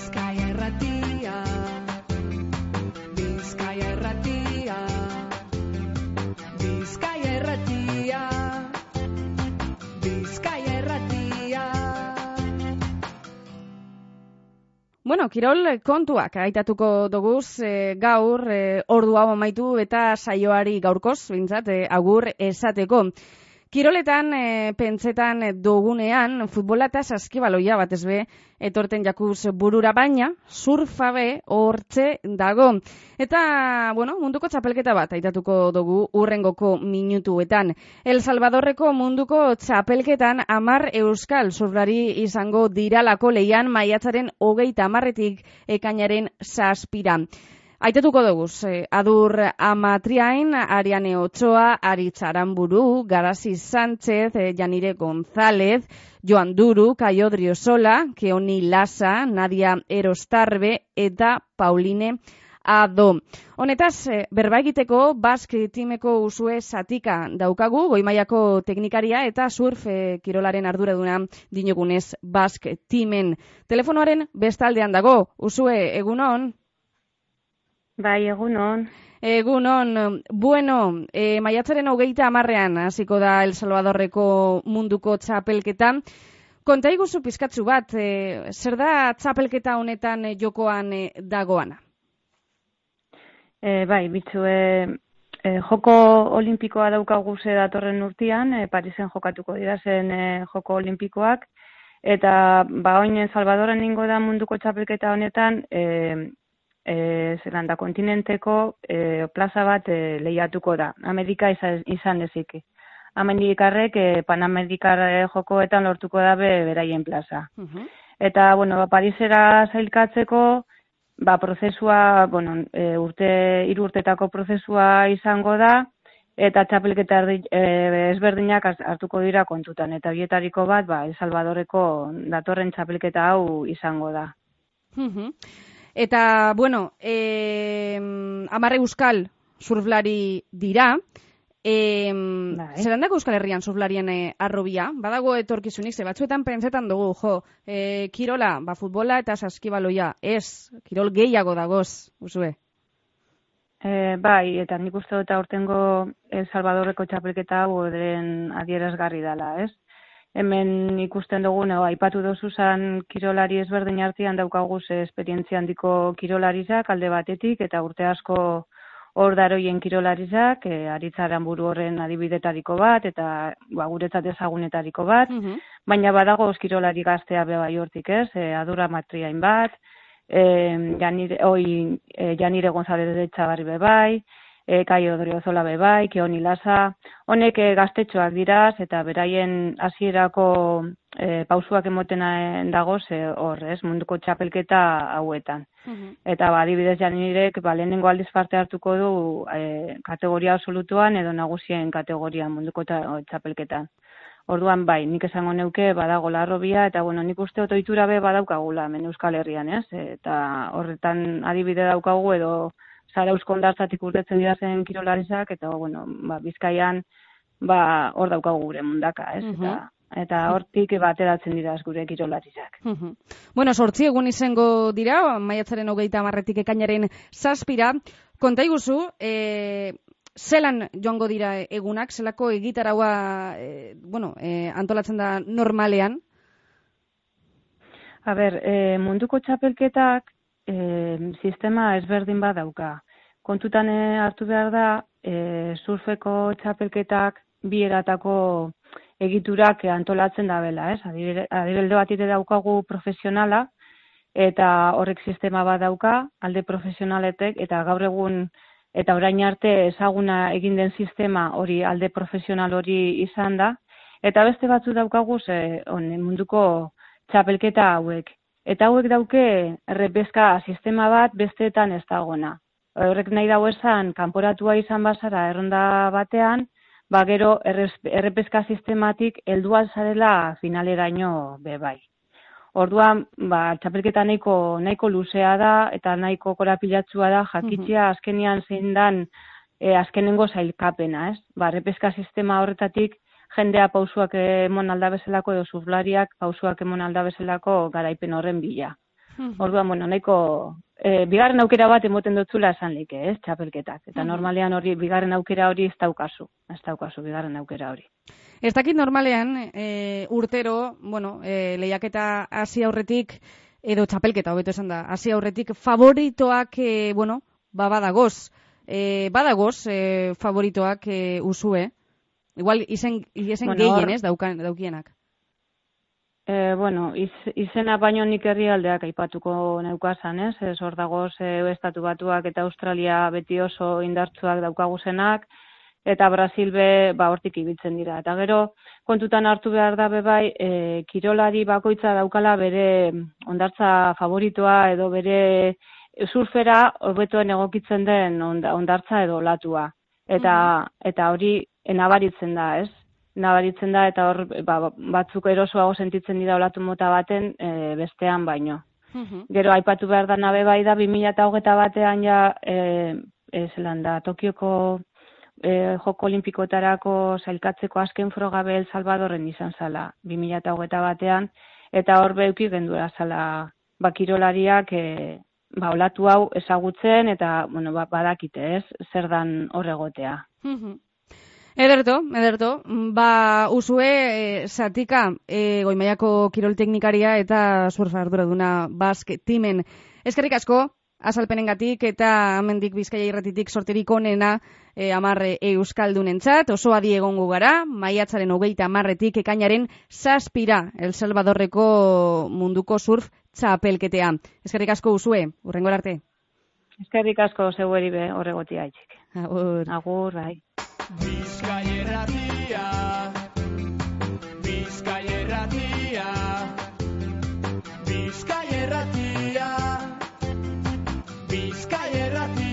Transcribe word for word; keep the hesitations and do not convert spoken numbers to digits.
Bizkaia Irratia, Bizkaia Irratia, Bizkaia Irratia, Bizkaia Irratia. Bueno, kirol kontuak aitatuko doguz e, gaur e, ordu hau amaitu eta saioari gaurkoz, bintzat, e, agur esateko. Kiroletan, e, pentsetan dugunean, futbola eta saskibaloia batez be, etorten jakuz burura baina, surfa be hortze dago. Eta, bueno, munduko txapelketa bat aitatuko dugu urrengoko minutuetan. El Salvadorreko munduko txapelketan amar euskal surflari izango diralako leian maiatzaren hogeita hamarretik ekainaren zazpira. Aitatuko doguz, eh, Adur Amatriain, Ariane Ochoa, Aritz Aramburu, Garasi Sánchez, eh, Janire González, Joan Duru, Kaio Driosola, Keoni Lasa, Nadia Erostarbe eta Pauline Ado. Honetaz, eh, berba egiteko Basque Teameko usue satika daukagu, goimaiako teknikaria eta surf eh, kirolaren arduraduna dinogunez Basque Teamen. Telefonoaren bestaldean dago, usue egunon? Bai, egunon. Egunon, bueno, e, maiatzaren hogeita hamarrean hasiko da El Salvadorreko munduko txapelketa. Konta iguzu pizkatzu bat, e, zer da txapelketa honetan jokoan e, dagoana? E, bai, bitzu, e, e, joko olimpikoa daukagu ze datorren urtean, e, Parisen jokatuko dira zen e, joko olimpikoak, eta ba oin Salvadorren ningo da munduko txapelketa honetan, e, E, Zelanda kontinenteko e, plaza bat e, lehiatuko da. Amerika izan, izan ezik. Amerikarrek e, Panamerikar jokoetan lortuko da be, beraien plaza. Uh-huh. Eta, bueno, ba, Parisera zailkatzeko, ba, prozesua, bueno, e, urte, hiru urtetako prozesua izango da, eta txapelketa e, ezberdinak hartuko dira kontutan. Eta bietariko bat, ba, El Salvadorreko datorren txapelketa hau izango da. Uh-huh. Eta, bueno, eh, amarre euskal surflari dira, eh, zerandako Euskal Herrian surflarien eh, arrobia, badago etorkizunik, ze batzuetan pentsetan dugu, jo, eh, kirola, ba, futbola eta saskibaloia, ez, kirol gehiago dagoz, usue? E, bai, eta nik uste dut aurtengo El Salvadorreko txapelketa hau den adierazgarri dela, ez? Hemen ikusten dugu, no, aipatu dozu zan kirolari ezberdin artean daukaguz esperientzia handiko kirolarizak alde batetik, eta urte asko hor daroien kirolarizak, e, Aritz Aramburu horren adibidetariko bat, eta ba, guretzat ezagunetariko bat, uh-huh. Baina badago kirolari gaztea bebai hortik, ez? E, Adur Amatriain bat, e, Janire, oi, e, Janire González de Txabarri bebai, E, Kaio Driosola bebai, Keoni Lasa, honek e, gaztetxoak diraz, eta beraien hasierako e, pausuak emoten dagoz e, hor, ez, munduko txapelketa hauetan. Uh-huh. Eta, ba, adibidez Janirek, ba, lehenengo aldiz parte hartuko du e, kategoria absolutuan edo nagusien kategorian munduko txapelketan. Orduan, bai, nik esango neuke badago larrobia, eta, bueno, nik uste otoitura be badaukagula, men Euskal Herrian, ez, eta horretan adibide daukagu edo Zarauzko hondartzatik urtetzen dira zen kirolarizak, eta, bueno, ba, Bizkaian, ba, hor daukagu gure mundaka, ez? Uh-huh. Eta, eta hortik bateratzen dira gure kirolarizak. Uh-huh. Bueno, sortzi egun izango dira, maiatzaren hogeita hamarretik ekainaren zazpira. Konta iguzu, e, zelan joango dira egunak, zelako egitaraua, e, bueno, e, antolatzen da normalean? A ber, e, munduko txapelketak, E, sistema ezberdin bat dauka. Kontutan hartu behar da, e, surfeko txapelketak bi eratako egiturak antolatzen da bela, ez? Adibelde bat ite daukagu profesionala, eta horrek sistema bat dauka, alde profesionaletek, eta gaur egun, eta orain arte ezaguna egin den sistema hori, alde profesional hori izan da, eta beste batzu daukagu ze, on, munduko txapelketa hauek. Eta hauek dauke errepezka sistema bat besteetan ez dagona. Horrek nahi dago esan, kanporatua izan bazara erronda batean, ba gero errepezka sistematik helduan zarela finaleraino bebai. Orduan, ba, txapelketa nahiko, nahiko luzea da eta nahiko korapilatsua da jakitzea uh-huh. azkenian zein dan e, azkenengo zailkapena, ez? Ba, errepezka sistema horretatik jendea pausuak emon alda bezalako edo surflariak pausuak emon alda bezalako garaipen horren bila. Orduan, bueno, nahiko e, bigarren aukera bat emoten dutzula esan like, ez, txapelketak. Eta normalean hori, bigarren aukera hori ez daukazu, ez daukazu bigarren aukera hori. Ez dakit normalean, e, urtero, bueno, e, lehiaketa hasi aurretik, edo txapelketa, hobeto esan da, hasi aurretik favoritoak, e, bueno, ba badagoz, e, badagoz e, favoritoak e, usue, igual izen, izen bueno, gehien, ez, daukan, daukienak. E, bueno, iz, izena baino nik herrialdeak aipatuko neukazan, ez? Ez hor dagoz e, Estatu Batuak eta Australia beti oso indartsuak daukaguzenak, eta Brasil be, ba, hortik ibiltzen dira. Eta gero, kontutan hartu behar da bebai, e, kirolari bakoitza daukala bere ondartza favoritoa edo bere surfera hobetoen egokitzen den ondartza edo olatua. Eta, mm-hmm. eta hori nabaritzen da, ez? Nabaritzen da eta hor ba, batzuk erosoago sentitzen dira olatu mota baten e, bestean baino. Uh-huh. Gero aipatu behar da nabe bai da bi mila hogeita batean ja e, e, zelan da Tokioko e, Joko Olimpikoetarako sailkatzeko azken frogabe El Salvadorren izan zala bi mila hogeita batean eta hor beuki gendura zala bakirolariak e, ba, olatu hau ezagutzen eta bueno, ba, badakite ez zer dan hor egotea. Uh-huh. Ederto, ederto, ba, usue, e, zatika, e, goimaiako kirol teknikaria eta surf arduraduna Basque Teamen. Eskerrik asko, azalpenengatik eta amendik Bizkaia irratitik sorterik onena e, amarre euskaldunentzat, oso adi egongo gara, maiatzaren hogeita amarretik ekainaren zazpira El Salvadorreko munduko surf txapelketea. Eskerrik asko usue, hurrengor arte. Eskerrik asko zeueri be horregotia itxik. Agur. Agur, bai. Bizkaierratia, Bizkaierratia, Bizkaierratia, Bizkaierratia.